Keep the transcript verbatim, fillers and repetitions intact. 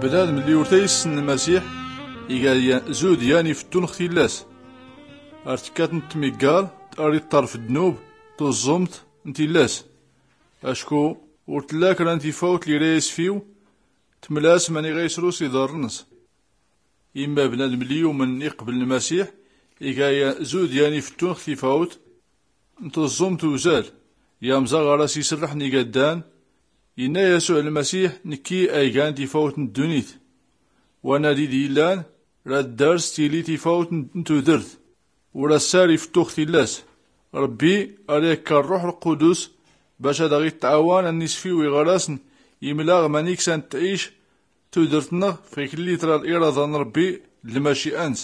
Bnadm lli ur t-aysn lmasiḥ, iga yan zud yan ifttun x tillas. Ar tkkat n tmiggar, ar iṭṭarf ddnub, tuẓẓumt n tillas. Acku ur tlla kra n tifawt lli ra yasfiw, tmlas mani ɣa isrus iḍarr-ns. Imma bnadm lli yumn iqbl lmasiḥ, iga yan zud yan ifttun x tifawt n tuẓẓumt uzal. Yamẓa ɣar as isrḥ n igaddan, inna yasuɛ lmasiḥ, nkki a igan tifawt n ddunit. Wa nadi d illan, ra ddars tili tifawt n tudrt. Ur assar ifttux tillas. Rbbi ar yakka rruḥ lqudus, bac ad aɣ ittɛawan a nisfiw iɣaras n imlaɣ mani ksan tɛic tudrt-nɣ f iklli tra liraḍa n rbbi d lmaci'a-ns.